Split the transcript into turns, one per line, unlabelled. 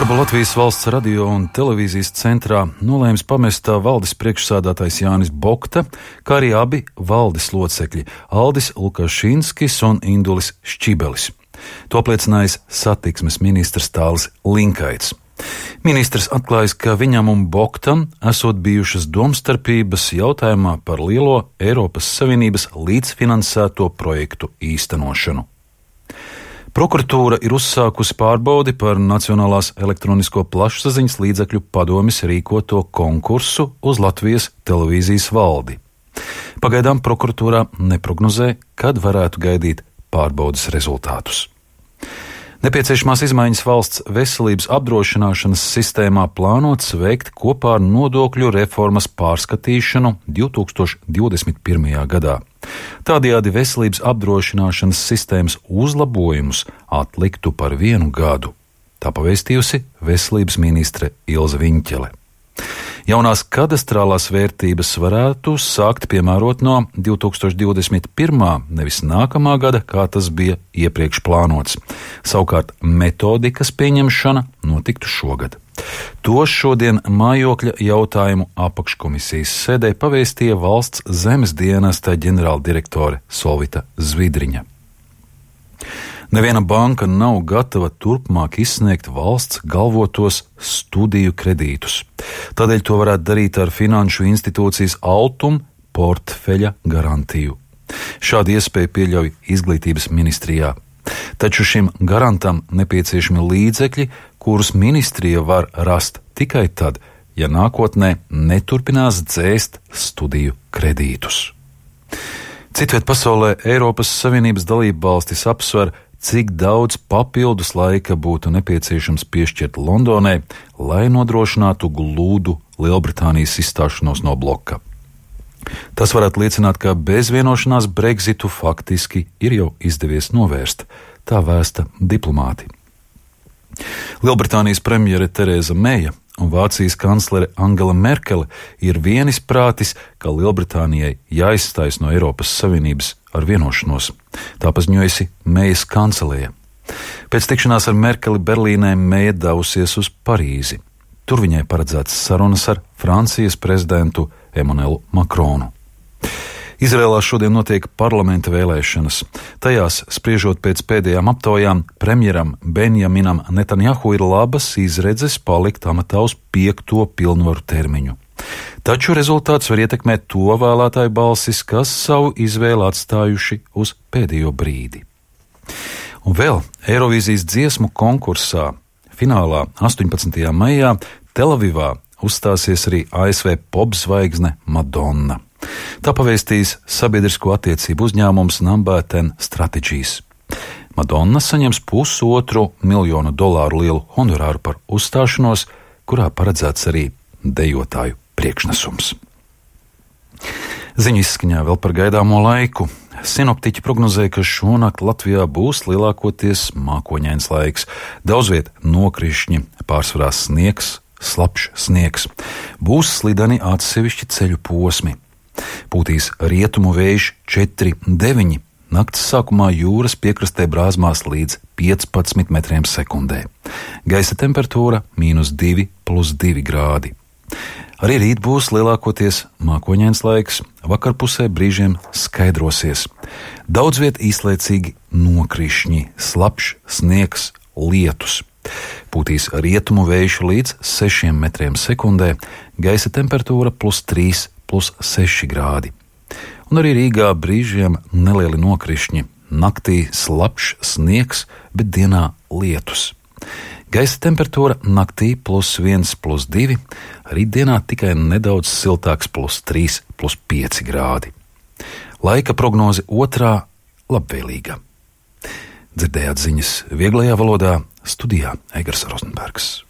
Darbu Latvijas valsts radio un televīzijas centrā nolēms pamest valdes priekšsādātājs Jānis Bokta, kā arī abi valdes locekļi Aldis Lukašinskis un Indulis Šķibelis. To apliecinājis satiksmes ministrs Tālis Linkaits. Ministrs atklājis, ka viņam un Boktam esot bijušas domstarpības jautājumā par lielo Eiropas Savienības līdzfinansēto projektu īstenošanu. Prokuratūra ir uzsākusi pārbaudi par Nacionālās elektronisko plašsaziņas līdzekļu padomes rīkoto konkursu uz Latvijas televīzijas valdi. Pagaidām prokuratūrā neprognozē, kad varētu gaidīt pārbaudes rezultātus. Nepieciešamās izmaiņas valsts veselības apdrošināšanas sistēmā plānots veikt kopā ar nodokļu reformas pārskatīšanu 2021. gadā. Tādējādi veselības apdrošināšanas sistēmas uzlabojumus atliktu par 1 gadu. Tā pavēstījusi veselības ministre Ilze Viņķele. Jaunās kadastrālās vērtības varētu sākt piemērot no 2021. nevis nākamā gada, kā tas bija iepriekš plānots. Savukārt metodikas pieņemšana notiktu šogad. To šodien mājokļa jautājumu apakškomisijas sēdē pavēstīja valsts zemes dienesta ģenerāldirektore Solvita Zvidriņa. Neviena banka nav gatava turpmāk izsniegt valsts galvotos studiju kredītus. Tādēļ to varētu darīt ar finanšu institūcijas Altum portfeļa garantiju. Šādu iespēju pieļauj Izglītības ministrijā. Taču šim garantam nepieciešami līdzekļi, kurus ministrija var rast tikai tad, ja nākotnē neturpinās dzēst studiju kredītus. Citviet pasaulē Eiropas Savienības dalībvalstis apsver, cik daudz papildus laika būtu nepieciešams piešķirt Londonai, lai nodrošinātu glūdu Lielbritānijas izstāšanos no bloka. Tas varētu liecināt, ka bez vienošanās Brexitu faktiski ir jau izdevies novērst, tā vēsta diplomāti. Lielbritānijas premjere Tereza Meja un Vācijas kanclere Angela Merkele ir vienisprātis, ka Lielbritānijai jāizstājas no Eiropas Savienības ar vienošanos. Tā paziņojusi Mejas kancelēja. Pēc tikšanās ar Merkeli Berlīnē Meja devusies uz Parīzi. Tur viņai paredzētas sarunas ar Francijas prezidentu Emmanuelu Makronu. Izrēlā šodien notiek parlamenta vēlēšanas. Tajās, spriežot pēc pēdējām aptaujām, premjeram Benjaminam Netanjahu ir labas izredzes palikt amatā uz 5. pilnvaru termiņu. Taču rezultāts var ietekmēt to vēlētāju balsis, kas savu izvēli atstājuši uz pēdējo brīdi. Un vēl Eirovīzijas dziesmu konkursā finālā 18. maijā Telavivā uzstāsies arī ASV popzvaigzne Madonna. Tā pavēstīs sabiedrisko attiecību uzņēmums Number 10 Strategies. Madonna saņems $1,5 miljonu lielu honorāru par uzstāšanos, kurā paredzēts arī dejotāju priekšnesums. Ziņu izskaņā vēl par gaidāmo laiku. Sinoptiķi prognozē, ka šonakt Latvijā būs lielākoties mākoņains laiks. Daudzviet nokrišņi, pārsvarā sniegs, slapjš sniegs. Būs slideni atsevišķi ceļu posmi. Pūtīs rietumu vējš 4,9. Nakts sākumā jūras piekrastē brāzmās līdz 15 metriem sekundē. Gaisa temperatūra -2 + 2 grādi. Arī rīt būs lielākoties mākoņains laiks, vakarpusē brīžiem skaidrosies. Daudz viet īslaicīgi nokrišņi, slapjš sniegs, lietus. Pūtīs rietumu vējš līdz 6 metriem sekundē, gaisa temperatūra +3 + 6 grādi. Un arī Rīgā brīžiem nelieli nokrišņi, naktī slapjš sniegs, bet dienā lietus. Gaisa temperatūra naktī +1 + 2, rītdienā tikai nedaudz siltāks +3 + 5 grādi. Laika prognoze otrā labvēlīga. Dzirdējāt ziņas vieglajā valodā, studijā Eigars Rozenbergs.